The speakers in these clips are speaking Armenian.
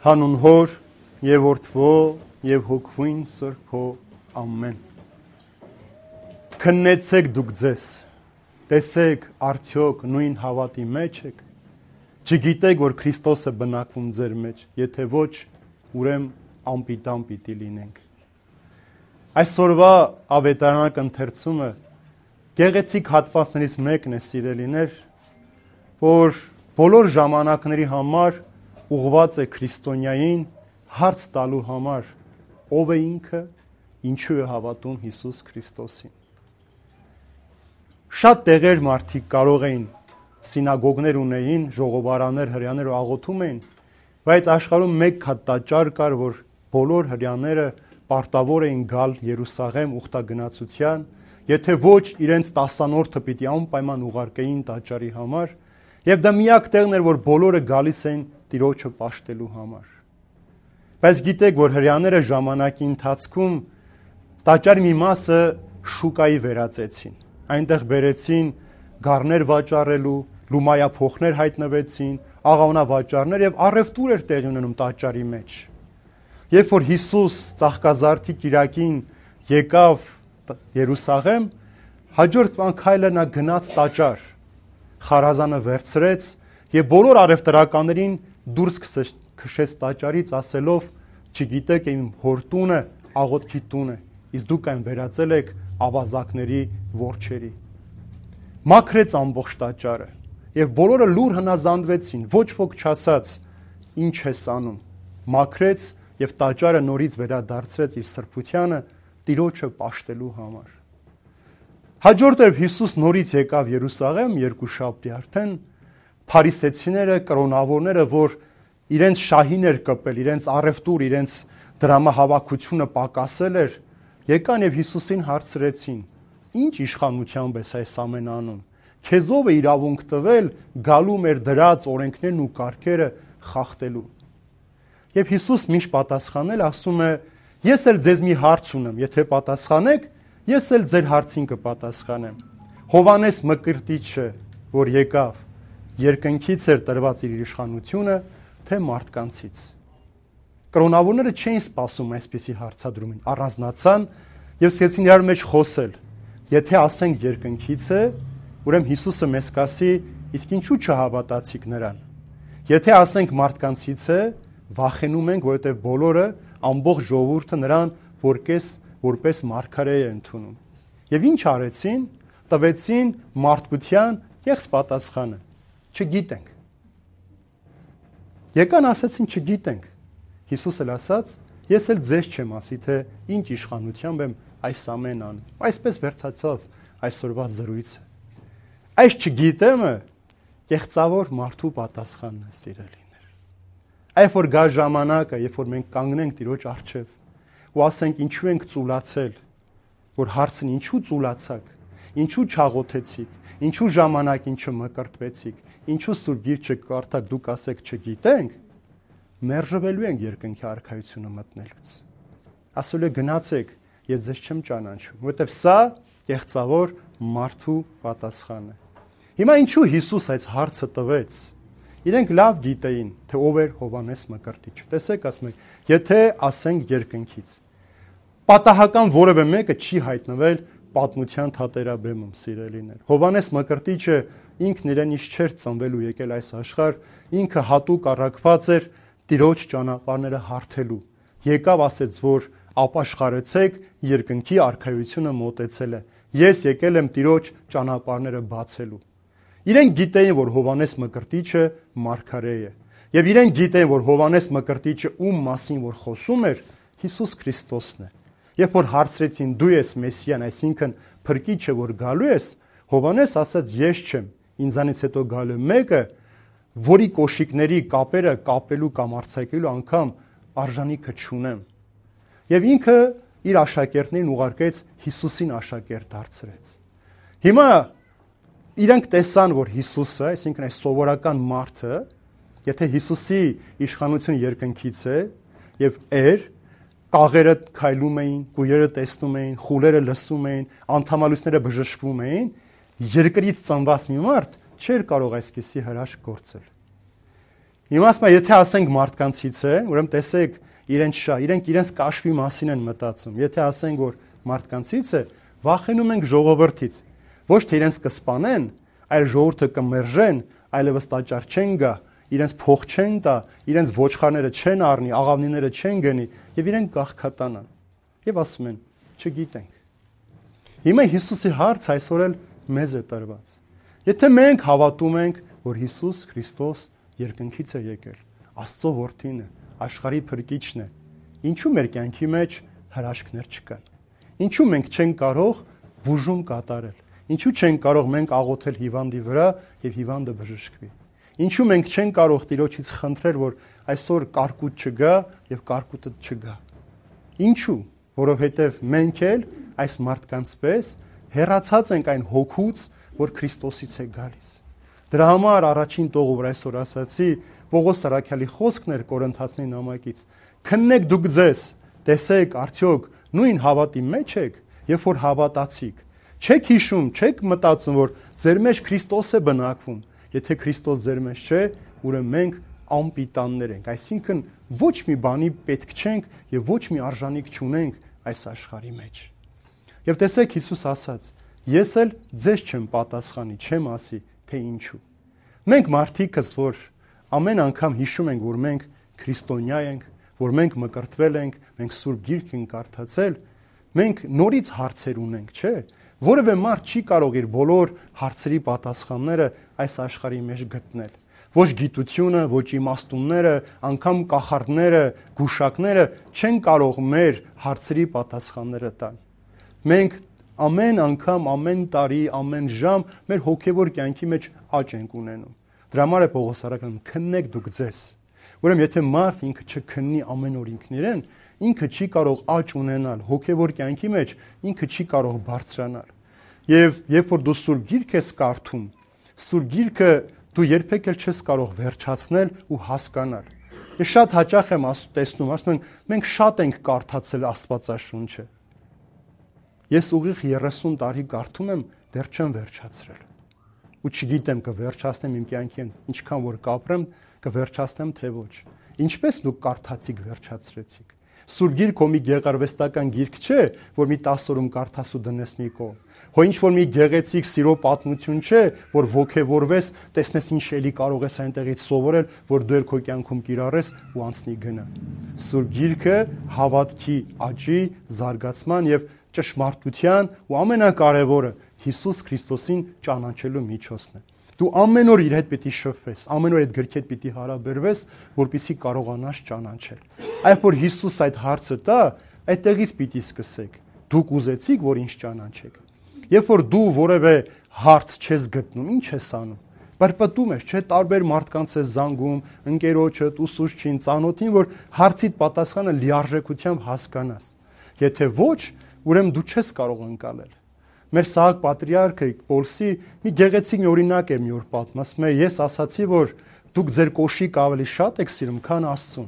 Հանուն Հոր եւ Որդվո եւ Հոգվույն Սրբո ամեն։ Քննեցեք դուք ձեզ, տեսեք արդյոք նույն հավատի մեջ եք, չգիտեք որ Քրիստոսը բնակվում ձեր մեջ, եթե ոչ, ուրեմն անպիտան պիտի լինենք։ Այսօրվա ավետարանակ ընթերցումը գեղեցիկ հատվածներից մեկն է, սիրելիներ, որ բոլոր ժամանակների համար ուղղված է քրիստոնյային հարց տալու համար, ով է ինքը, ինչու է հավատում Հիսուս Քրիստոսին։ Շատ տեղեր մարդիկ կարող էին, սինագոգներ ունեին, ժողովարաններ, հրեաներ աղոթում էին, բայց աշխարհում մեկ հատ տաճար կար, որ բոլոր հրեաները պարտավոր էին գալ Երուսաղեմ ուխտագնացության, եթե ոչ իրենց 10-որդը պիտի անպայման ուղարկեին տաճարի համար, եւ դա միակ տեղն էր, որ բոլորը գալիս էին Տիրոջը պաշտելու համար։ Բայց գիտեք, որ հրեաները ժամանակի ընթացքում տաճարի մի մասը շուկայի վերածեցին։ Այնտեղ բերեցին գառներ վաճառելու, լումայափոխներ հայտնվեցին, աղավնավաճառներ եւ առևտուր էր տեղի ունենում տաճարի մեջ։ Երբ որ Հիսուս ծաղկազարդի կիրակին եկավ Երուսաղեմ, հաջորդ քայլը նա գնաց տաճար, խարազանը վերցրեց եւ բոլոր առևտրականներին դուրս քշեց տաճարից ասելով. չգիտեք իմ հոր տունը աղոթքի տուն է, իսկ դուք այն վերածել եք ավազակների որջերի։ Մաքրեց ամբողջ տաճարը եւ բոլորը լուր հնազանդվեցին, ոչ ոք չասաց ինչ ես անում։ Մաքրեց եւ տաճարը նորից վերադարձրեց իր սրբությանը Տիրոջը պաշտելու համար։ Հաջորդ օրը Հիսուս նորից եկավ Երուսաղեմ երկուշաբթի արդեն, փարիսեցիները, կրոնավորները, որ իրենց շահին էր կպել, իրենց առևտուր, իրենց դրամահավաքությունը պակասել էր, եկան եւ Հիսուսին հարցրեցին. ինչ իշխանությամբ ես այս ամեն անում։ Քեզ ով է իրավունք տվել գալու մեր դրած օրենքներն ու կարգերը խախտելու։ Եվ Հիսուս միշտ պատասխանել ասում է. ես էլ ձեզ մի հարց ունեմ, եթե պատասխանեք, ես էլ ձեր հարցին կպատասխանեմ։ Հովանես Մկրտիչը, որ եկավ, երկնքից էր տրված իր իշխանությունը, թե մարդկանցից։ Կրոնավորները չէին սպասում այսպիսի հարցադրումին, առանձնացան եւ սկսեցին իրար մեջ խոսել։ Եթե ասենք երկնքից է, ուրեմն Հիսուսը մեզ կասի, իսկ ինչու չհավատացիք նրան։ Եթե ասենք մարդկանցից է, վախենում ենք, որովհետեւ բոլորը ամբողջ ժողովուրդը նրան որպես մարգարե է ընդունում։ Եվ ինչ արեցին, տվեցին մարդկության կեղծ պատասխանը. չգիտենք։ Եկան ասացին չգիտենք։ Հիսուս էլ ասաց. ես էլ ձեզ չեմ ասի, թե ինչ իշխանությամբ եմ այս ամեն անում։ Այսպես վերջացավ այսօրվա զրույցը։ Այս չգիտեմը կեղծավոր մարդու պատասխանն է, սիրելիներ։ Այբ որ գա ժամանակը, երբ որ մենք կանգնենք Տիրոջ առջև ու ասենք ինչու ենք ծուլացել, որ հարցն ինչու ծուլացաք, ինչու չաղոթեցիք, ինչու ժամանակին չմկրտվեցիք, ինչու Սուրբ Գիրքը կարդաք, դուք ասեք չգիտենք, մերժվելու ենք երկնքի արքայությունը մտնելուց։ Ասել է գնացեք, ես ձեզ չեմ ճանաչում, որովհետև սա կեղծավոր մարդու պատասխանն է։ Հիմա ինչու Հիսուս այս հարցը տվեց։ Իրենք լավ գիտեին, թե ով էր Հովանես Մկրտիչը։ Տեսեք, ասում եք, եթե ասենք երկնքից, պատահական որևէ մեկը չի հայտնվել պատմության թատերաբեմում, սիրելիներ։ Հովանես Մկրտիչը ինքն իրենից չէր ծնվել ու եկել այս աշխարհ, ինքը հատուկ առաքված էր Տիրոջ ճանապարհները հարթելու։ Եկավ ասեց, որ ապաշխարեցեք, երկնքի արքայությունը մոտեցել է։ Ես եկել եմ Տիրոջ ճանապարհները բացելու։ Իրենք գիտեին, որ Հովանես Մկրտիչը մարգարե է։ Եվ իրենք գիտեին, որ Հովանես Մկրտիչը ում մասին որ խոսում էր, Հիսուս Քրիստոսն է։ Երբ որ հարցրեցին դու ես Մեսիան, այսինքն փրկիչը, որ գալու ես, Հովանես ասաց ես չեմ, ինձանից հետո գալու մեկը, որի կոշիկների կապերը կապելու կամ արձակելու անգամ արժանիքը չունեմ։ Եվ ինքը իր աշակերտներին ուղարկեց Հիսուսին աշակերտ դարձրեց։ Հիմա իրենք տեսան, որ Հիսուսը, այսինքն այս սովորական մարդը, եթե Հիսուսի իշխանությունը երկնքից է եւ կաղերը քայլում էին, կույրերը տեսնում էին, խուլերը լսում էին, անդամալույսները բժշկվում էին, երկրից ծնված մի մարդ չէր կարող այսպիսի հրաշք գործել։ Հիմա ասում եմ, եթե ասենք մարդկանցից է, ուրեմն տեսեք, իրենք իրենց կաշվի մասին են մտածում։ Եթե ասենք, որ մարդկանցից է, վախենում ենք ժողովրդից։ Ոչ թե իրենց կսպանեն, այլ ժողովուրդը կմերժեն, այլևս տաճար չեն գա, իրենց փող չեն տա, իրենց ոչխարները չեն առնի, աղավնիները չեն գնի, եւ իրենք գաղքատանան։ Եվ ասում են, չգիտենք։ Հիմա Հիսուսի հարց այսօր էլ մեզ է տրված։ Եթե մենք հավատում ենք, որ Հիսուս Քրիստոս երկնքից է եկել, Աստծո որդին է, աշխարհի փրկիչն է, ինչու մեր կյանքի մեջ հրաշքներ չկան։ Ինչու մենք չենք կարող բուժում կատարել։ Ինչու չենք կարող մենք աղոթել հիվանդի վրա եւ հիվանդը բժշկվի։ Ինչու մենք չենք կարող Տիրոջից խնդրել, որ այսօր կարկուտ չգա եւ կարկուտը չգա։ Ինչու։ Որովհետեւ մենք էլ այս մարդկանց պես հեռացած ենք այն հոգուց, որ Քրիստոսից է գալիս։ Դրա համար առաջին տողը, որ այսօր ասացի, Պողոս Սարաքյալի խոսքն էր Կորինթացիների նամակից։ Քննեք դուք ձեզ, տեսեք, արդյոք նույն հավատի մեջ եք, երբ որ հավատացիք։ Չեք հիշում, չեք մտածում, որ ձեր մեջ Քրիստոս է բնակվում։ Եթե Քրիստոս ձեր մեջ չէ, ուրեմն մենք անպիտաններ ենք, այսինքն ոչ մի բանի պետք չենք եւ ոչ մի արժանիք չունենք այս աշխարհի մեջ։ Եվ տեսեք Հիսուս ասաց. ես էլ ձեզ չեմ պատասխանի, չեմ ասի, թե ինչու։ Մենք մարդիկս, որ ամեն անգամ հիշում ենք, որ մենք քրիստոնյա ենք, որ մենք մկրտվել ենք, մենք Սուրբ Գիրք ենք կարդացել, մենք նորից հարցեր ունենք, չէ՞։ Որևէ մարդ չի կարող իր բոլոր հարցերի պատասխանները այս աշխարհի մեջ գտնել։ Ոչ գիտությունը, ոչ իմաստունները, անգամ կախարդները, գուշակները չեն կարող մեր հարցերի պատասխանները տալ։ Մենք ամեն անգամ, ամեն տարի, ամեն ժամ մեր հոգևոր կյանքի մեջ աճ ենք ունենում։ Դրա համար է Պողոս Սարաքյալը քննեք դուք ձեզ։ Ուրեմն եթե մարդ ինքը չքննի ամեն օր ինքն իրեն, ինքը չի կարող աճ ունենալ հոգևոր կյանքի մեջ, ինքը չի կարող բարձրանալ։ Եվ երբ որ դու Սուրբ Գիրք ես կարդում, Սուրբ Գիրքը դու երբեք էլ չես կարող վերջացնել ու հասկանալ։ Ես շատ հաճախ եմ տեսնում, ասում են, մենք շատ ենք կարդացել Աստվածաշունչը։ Ես ուղիղ 30 տարի կարդում եմ, դեռ չեմ վերջացրել։ Ու չգիտեմ կվերջացնեմ իմ կյանքին, ինչքան որ կապրեմ, կվերջացնեմ թե ոչ։ Ինչպես դուք կարդացիք, վերջացրեցիք։ Սուրբ Գիրքը մի գեղարվեստական գիրք չէ, որ մի 10 օրում կարդաս ու դնես մի կողմ։ Հո ինչ որ մի գեղեցիկ սիրո պատմություն չէ, որ ոգևորվես, տեսնես ինչ էլի կարող ես այնտեղից սովորել, որ դու քո կյանքում կիրառես ու անցնի գնա։ Սուրբ Գիրքը հավատքի աճի, զարգացման եւ ճշմարտության ու ամենակարևորը Հիսուս Քրիստոսին ճանաչելու միջոցն է։ Դու ամեն օր իր հետ պիտի շփվես, ամեն օր այդ գրքի հետ պիտի հարաբերվես, որպեսզի կարողանաս ճանաչել։ Այբ որ Հիսուս այդ հարցը տա, այդտեղից պիտի սկսեք։ Դուք ուզեցիք, որ ինչ ճանաչեք։ Երբ որ դու որևէ հարց չես գտնում, ինչ ես անում։ Պրպտում ես, չէ՞, տարբեր մարդկանց ես զանգում, ընկերոջդ, ուսուցչին, ծանոթին, որ հարցիդ պատասխանը լիարժեքությամբ հասկանաս։ Եթե ոչ, ուրեմն դու չես կարող ընկալել։ Մեր Սահակ պատրիարքը Պոլսի մի գեղեցիկ մի օրինակ էր մի օր պատմում, ասում է, ես ասացի, որ դուք ձեր կոշիկ ավելի շատ եք սիրում, քան Աստծուն։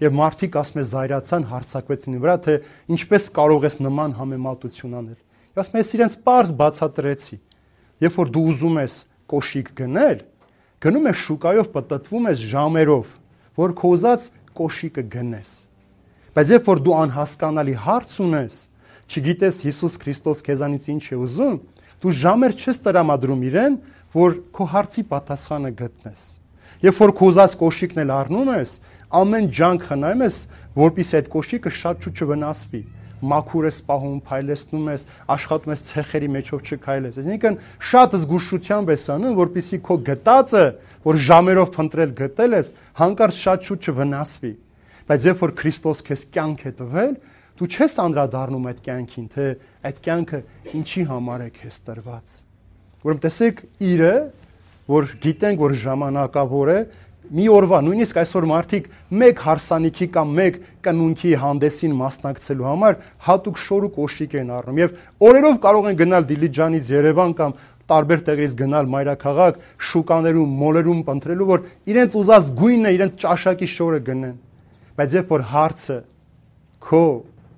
Եվ մարդիկ ասում է զայրացան, հարցակվեցին վրա, թե ինչպես կարող ես նման համեմատություն անել։ Ասում է, ես իրենց պարզ բացատրեցի։ Երբ որ դու ուզում ես կոշիկ գնել, գնում ես շուկայով, պտտվում ես ժամերով, որ քո ուզած կոշիկը գնես։ Բայց երբ որ դու անհասկանալի հարց ունես, չգիտես Հիսուս Քրիստոս քեզանից ինչ է ուզում, դու ժամեր չես տրամադրում իրեն, որ քո հարցի պատասխանը գտնես։ Երբ որ քո ուզած կոշիկն էլ առնում ես, ամեն ջանք խնայում ես, որպեսզի այդ կոշիկը շատ շուտ չվնասվի։ Մաքուր ես պահում, փայլեցնում ես, աշխատում ես ցեխերի մեջով չքայլես։ Այսինքն շատ զգուշությամբ ես անում, որպեսզի քո գտածը, որ ժամերով փնտրել գտել ես, հանկարծ շատ շուտ չվնասվի։ Բայց երբ որ Քրիստոս քեզ կյանք է տվել, դու չես անդրադառնում այդ կյանքին, թե այդ կյանքը ինչի համար է քեզ տրված։ Ուրեմն տեսեք, իրը, որ գիտենք, որ ժամանակավոր է, մի օրվա, նույնիսկ այսօր մարդիկ մեկ հարսանիքի կամ մեկ կնունքի հանդեսին մասնակցելու համար հատուկ շոր ու կոշիկ են առնում եւ օրերով կարող են գնալ Դիլիջանից Երևան կամ տարբեր տեղերից գնալ մայրաքաղաք, շուկաներում, մոլերում փնտրելու, որ իրենց ուզած գույնը, իրենց ճաշակի շորը գնեն։ Բայց երբ որ հարցը քո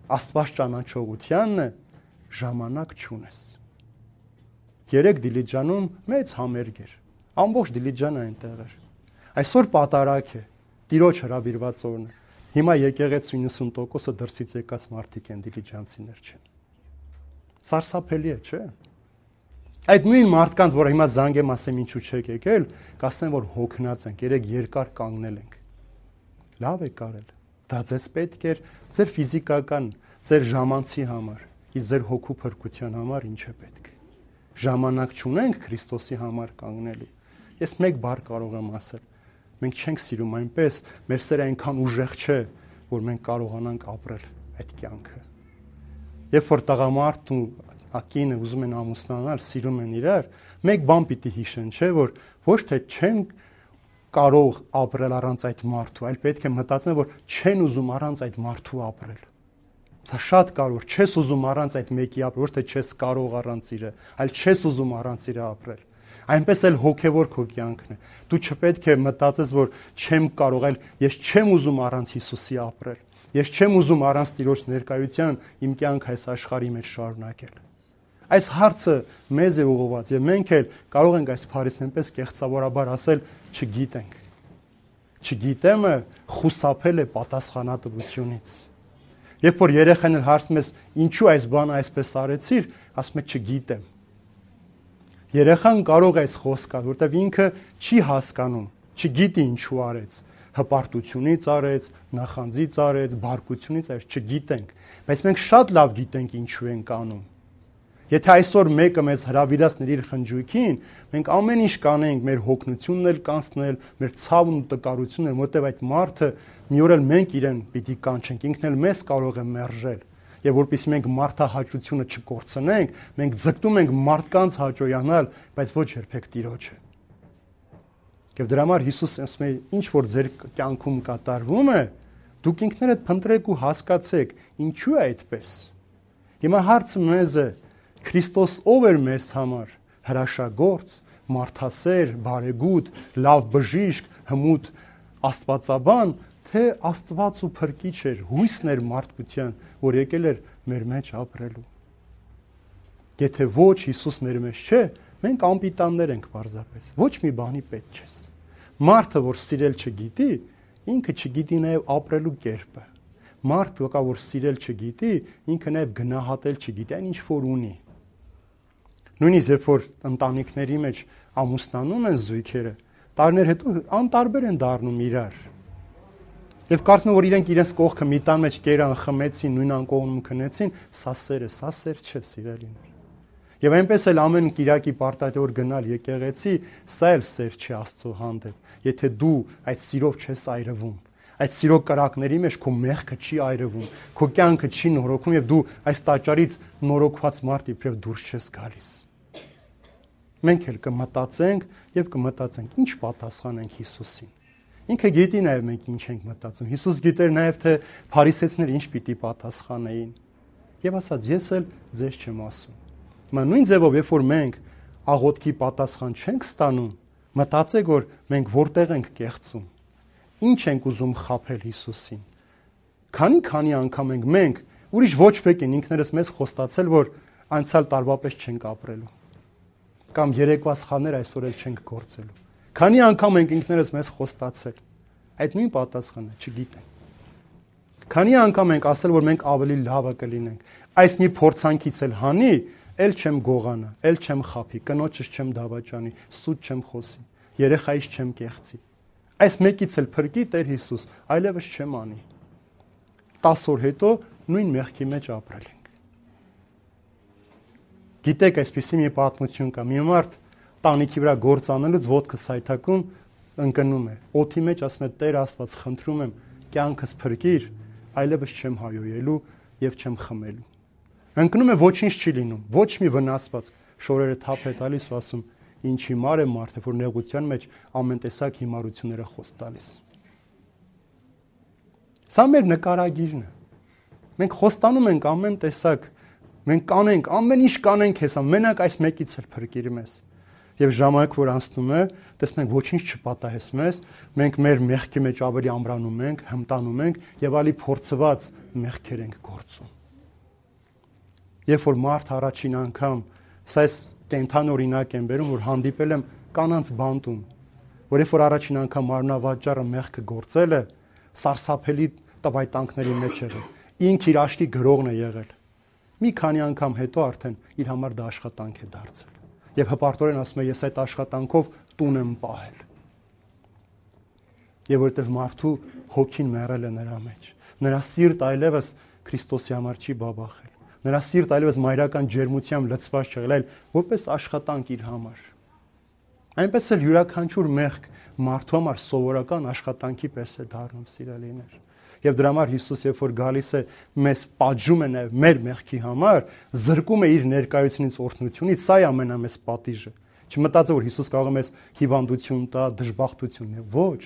Աստված ճանաչողությանն է, ժամանակ չունես։ Երեք Դիլիջանում մեծ համերգ էր։ Ամբողջ Դիլիջանը այնտեղ էր։ Այսօր պատարագ է, Տիրոջ հրավիրված օրն է։ Հիմա եկեղեցու 90%-ը դրսից եկած մարդիկ են, դիլիջանցիներ չեն։ Սարսափելի է, չէ՞։ Այդ նույն մարդկանց, որ հիմա զանգեմ ասեմ ինչու չեք եկել, կասեն, որ հոգնած ենք, երեք երկար կանգնել ենք։ Լավ է կարել։ Դա ձեզ պետք էր ձեր ֆիզիկական, ձեր ժամանցի համար, իսկ ձեր հոգու փրկության համար ինչ է պետք։ Ժամանակ չունենք Քրիստոսի համար կանգնելու։ Ես մեկ բառ կարող եմ ասել։ Մենք չենք սիրում այնպես, մեր սերը այնքան ուժեղ չէ, որ մենք կարողանանք ապրել այդ կյանքը։ Երբ որ տղամարդն ու ակինը ուզում են ամուսնանալ, սիրում են իրար, մեկ բան պիտի հիշեն, չէ, որ ոչ թե չեն կարող ապրել առանց այդ մարդու, այլ պետք է մտածեն, որ չեն ուզում առանց այդ մարդու ապրել։ Սա շատ կարևոր, չես ուզում առանց այդ մեկի ապրել, ոչ թե չես կարող առանց իրը, այլ չես ուզում առանց իրը ապրել։ Այնպես էլ հոգևոր քո կյանքն է։ Դու չպետք է մտածես, որ չեմ կարող, այլ ես չեմ ուզում առանց Հիսուսի ապրել։ Ես չեմ ուզում առանց Տիրոջ ներկայության իմ կյանքը այս աշխարհի մեջ շարունակել։ Այս հարցը մեզ է ուղղված եւ մենք էլ կարող ենք այս փարիսն այնպես կեղծավորաբար ասել, չգիտենք։ Չգիտեմը խուսափել է պատասխանատվությունից։ Երբ որ երեխան հարցնում ես, ինչու այս բանը այսպես արեցիր, ասում է չգիտեմ։ Երեխան կարող է այս խոսքը, որտեվ ինքը չի հասկանում, չգիտի ինչու արեց, հպարտությունից արեց, նախանձից արեց, բարկությունից արեց, չգիտենք, բայց մենք շատ լավ գիտենք ինչու ենք անում։ Եթե այսօր մեկը մեզ հրավիրացներ իր խնջույքին, մենք ամեն ինչ կանենք, մեր հոգնությունն էլ կանցնել, մեր ցավն ու տկարությունն, որտեվ այդ մարդը մի օր էլ մենք իրեն պիտի կանչենք, ինքն էլ մեզ կարող է մերժել։ Եվ որpեսզի մենք մարդահաճությունը չկորցնենք, մենք ձգտում ենք մարդկանց հաճոյանալ, բայց ոչ երբեք Տիրոջը։ Եվ դրա համար Հիսուսը ասում է, ինչ որ ձեր կյանքում կատարվում է, դուք ինքներդ փնտրեք ու հասկացեք, ինչու է այդպես։ Հիմա հարցը մեզ է, Քրիստոս ով էր մեզ համար, հրաշագործ, մարդասեր, բարեգութ, լավ բժիշկ, հմուտ աստվածաբան, թե Աստված ու Փրկիչ էր, հույսն էր մարդկության, որ եկել էր մեր մեջ ապրելու։ Եթե ոչ Հիսուս մեր մեջ չէ, մենք անպիտաններ ենք պարզապես, ոչ մի բանի պետք չես։ Մարդը, որ սիրել չգիտի, ինքը չգիտի նաև ապրելու կերպը։ Մարդը, որ սիրել չգիտի, ինքը նաև գնահատել չգիտի, այն ինչ որ ունի։ Նույնիսկ երբ որ ընտանիքների մեջ ամուսնանում են զույգերը, տարիներ հետո անտարբեր են դառնում իրար։ Եվ կարծում եմ, որ իրենք իրենց կողքը մի տան մեջ կերան, խմեցին, նույն անկողնում քնեցին, սա սեր չէ, սիրելիներ։ Եվ այնպես էլ ամեն Կիրակի պարտադիր գնալ եկեղեցի, սա էլ սեր չի Աստծո հանդեպ։ Եթե դու այդ սիրով չես այրվում, այդ սիրո կրակների մեջ քո մեղքը չի այրվում, քո կյանքը չի նորոգվում եւ դու այս տաճարից նորոգված մարդ իբրև դուրս չես գալիս։ Մենք էլ կմտածենք եւ կմտածենք, ինչ պատասխանենք Հիսուսին։ Ինքը գիտի նաև մենք ինչ ենք մտածում։ Հիսուս գիտեր նաև թե փարիսեցիները ինչ պիտի պատասխանեին։ Եվ ասաց, ես էլ ձեզ չեմ ասում։ Հիմա նույն ձևով, երբ որ մենք աղոթքի պատասխան չենք ստանում, մտածեք, որ մենք որտեղ ենք կեղծում։ Ինչ ենք ուզում խաբել Հիսուսին։ Քանի անգամ ենք մենք ուրիշ ոչ ոք են ինքներս մեզ խոստացել, որ անցյալ տարվա պես չենք ապրելու։ Կամ երեկվա սխալներ այսօր էլ չենք գործելու։ Քանի անգամ ենք ինքներս մեզ խոստացել։ Այդ նույն պատասխանը չգիտեմ։ Քանի անգամ ենք ասել, որ մենք ավելի լավը կլինենք։ Այս մի փորձանքից էլ հանի, էլ չեմ գողանա, էլ չեմ խափի, կնոջս չեմ դավաճանի, սուտ չեմ խոսի, երեխայիս չեմ կեղծի։ Այս մեկից էլ փրկի Տեր Հիսուս, այլևս չեմ անի։ 10 օր հետո նույն մեղքի մեջ ապրել ենք։ Գիտեք, այսպեսի մի պատմություն կա։ Մի մարդ տանիքի վրա գործ անելուց ոտքը սայթակում ընկնում է։ Օդի մեջ ասում է. Տեր Աստված, խնդրում եմ, կյանքս փրկիր, այլևս չեմ հայոյելու եւ չեմ խմելու։ Ընկնում է, ոչինչ չի լինում, ոչ մի վնասված, շորերը թափ է տալիս ու ասում. ինչ հիմար է մարդը, որ նեղության մեջ ամեն տեսակ հիմարությունները խոս տալիս։ Սա մեր նկարագիրն է։ Մենք խոստանում ենք ամեն տեսակ, մենք կանենք, ամեն ինչ կանենք հեսա, մենակ այս մեկից էլ փրկիր մեզ։ Եվ ժամանակ որ անցնում է, տեսնենք ոչինչ չպատահես մեզ, մենք մեր մեղքի մեջ ավելի ամրանում ենք, հմտանում ենք եւ ալի փորձված մեղքեր ենք գործում։ Երբ որ մարդ առաջին անգամ, սա կենթան օրինակ եմ բերում, որ հանդիպել եմ կանանց բանտում, որ երբ որ առաջին անգամ մարմնավաճառը մեղքը գործել է, սարսափելի տվայտանքների մեջ եղել, ինք իր աշկի գրողն է եղել։ Մի քանի անգամ հետո արդեն իր համար դա աշխատանք է դարձել։ Եվ հպարտորեն ասում է, ես այդ աշխատանքով տուն եմ պահել։ Եվ որովհետև մարդու հոգին մեռել է նրա մեջ։ Նրա սիրտ այլևս Քրիստոսի համար չի բաբախել։ Նրա սիրտ այլևս մայրական ջերմությամբ լցված չեղել, այլ որպես աշխատանք իր համար։ Այնպես էլ յուրաքանչյուր մեղք մարդու համար սովորական աշխատանքի պես է դառնում, սիրելիներ։ Եվ դրա համար Հիսուս, երբ որ գալիս է մեզ պատժում է նաև մեր մեղքի համար, զրկում է իր ներկայությունից, օրհնությունից, սա է ամենամեծ պատիժը։ Չմտածեք, որ Հիսուս կարող է մեզ հիվանդություն տա, դժբախտություն, ոչ,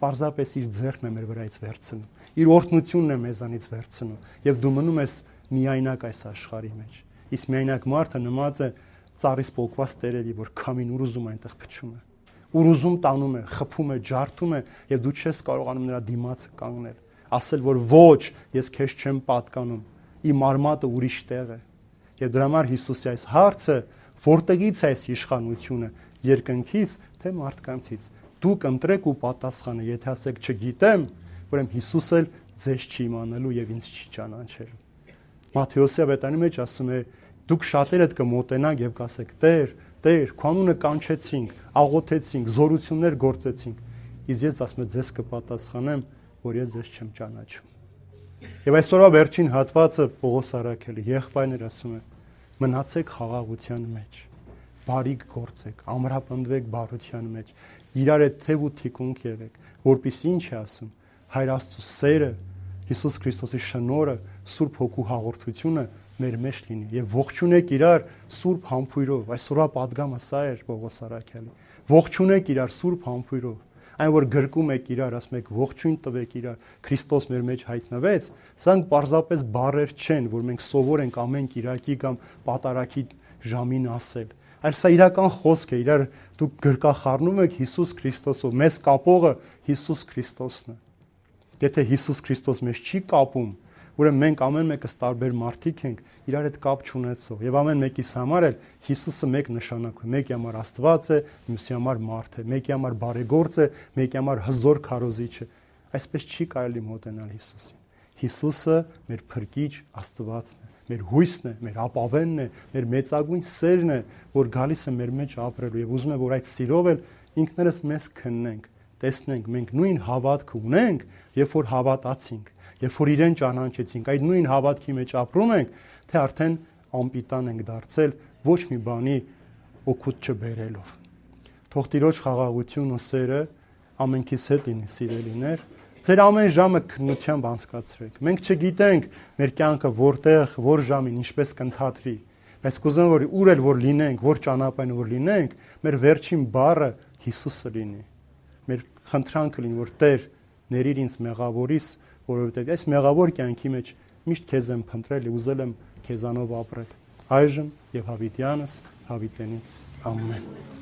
պարզապես իր ձեռքն է մեր վրայից վերցնում, իր օրհնությունն է մեզանից վերցնում, եւ դու մնում ես միայնակ այս աշխարհի մեջ։ Իսկ միայնակ մարդը նմած է ծառից պոկված տերերի, որ քամին ուր ուզում այնտեղ փչում է, ուր ուզում տանում է, խփում է, ջարդում է, եւ դու չես կարողանում նրա դիմացը կանգնել, ասել, որ ոչ, ես քեզ չեմ պատկանում, իմ արմատը ուրիշ տեղ է։ Եվ դրա համար Հիսուսի այս հարցը, որտեղից է այս իշխանությունը, երկնքից թե մարդկանցից։ Դուք ընտրեք ու պատասխանը, եթե ասեք չգիտեմ, ուրեմն Հիսուս էլ ձեզ չի իմանալու եւ ինձ չի ճանաչելու։ Մատթեոսի ավետարանի մեջ ասում է, դուք շատերդ կմոտենաք եւ կասեք. Տեր, Տեր, քո անունը կանչեցինք, աղոթեցինք, զորություններ գործեցինք։ Իսկ ես ասում եմ, ձեզ կպատասխանեմ, որ ես ձեզ չեմ ճանաչում։ Եվ այսօրվա վերջին հատվածը Պողոս առաքելի եղբայրներ ասում է. մնացեք խաղաղության մեջ, բարիք գործեք, ամրապնդվեք բարության մեջ, իրար հետ թև ու թիկունք եղեք, որպեսզի ինչ է ասում, Հայր Աստծո սերը, Հիսուս Քրիստոսի շնորհը, Սուրբ Հոգու հաղորդությունը մեր մեջ լինի եւ ողջունեք իրար Սուրբ համբույրով։ Այսօրվա պատգամը սա էր Պողոս առաքելի։ Ողջունեք իրար Սուրբ համբույրով։ Այն որ գրկում եք իրար, ասում եք ողջույն տվեք իրար, Քրիստոս մեր մեջ հայտնվեց, սրանք պարզապես բառեր չեն, որ մենք սովոր ենք ամեն Կիրակի կամ պատարագի ժամին ասել, այլ սա իրական խոսք է, իրար դուք գրկախառնում եք Հիսուս Քրիստոսով, մեզ կապողը Հիսուս Քրիստոսն է։ Եթե Հիսուս Քրիստոս մեզ չի կապում, ուրեմն մենք ամեն մեկս տարբեր մարդիկ ենք, իրար հետ կապ չունեցող, եւ ամեն մեկիս համար էլ Հիսուսը մեկ նշանակ է, մեկի համար Աստված է, մյուսի համար մարդ է, մեկի համար բարեգործ է, մեկի համար հզոր քարոզիչ է։ Այսպես չի կարելի մոտենալ Հիսուսին։ Հիսուսը մեր փրկիչ Աստվածն է, մեր հույսն է, մեր ապավենն է, մեր մեծագույն սերն է, որ գալիս է մեր մեջ ապրելու եւ ուզում է, որ այդ սիրով էլ ինքներս մեզ քննենք, տեսնենք մենք նույն հավատքը ունենք, երբ որ հավատացինք, երբ որ իրեն ճանաչեցինք, այդ նույն հավատքի մեջ ապրում ենք, թե արդեն անպիտան ենք դարձել ոչ մի բանի օգուտ չբերելով։ Թող Տիրոջ խաղաղություն ու սերը ամենքիս հետ լինի, սիրելիներ։ Ձեր ամեն ժամը քննությամբ անցկացրեք։ Մենք չգիտենք մեր կյանքը որտեղ, որ ժամին ինչպես կընթացվի, բայց կուզեմ որ ուր էլ որ լինենք, որ ճանապարհին որ լինենք, մեր վերջին բառը Հիսուսը լինի։ Մեր խնդրանքը լինի, որ Տեր, ների ինձ մեղավորիս, որովհետև այս մեղավոր կյանքի մեջ միշտ քեզ եմ փնտրել ու ուզել եմ քեզանով ապրել։ Այժմ եւ հավիտյանս հավիտենից ամեն։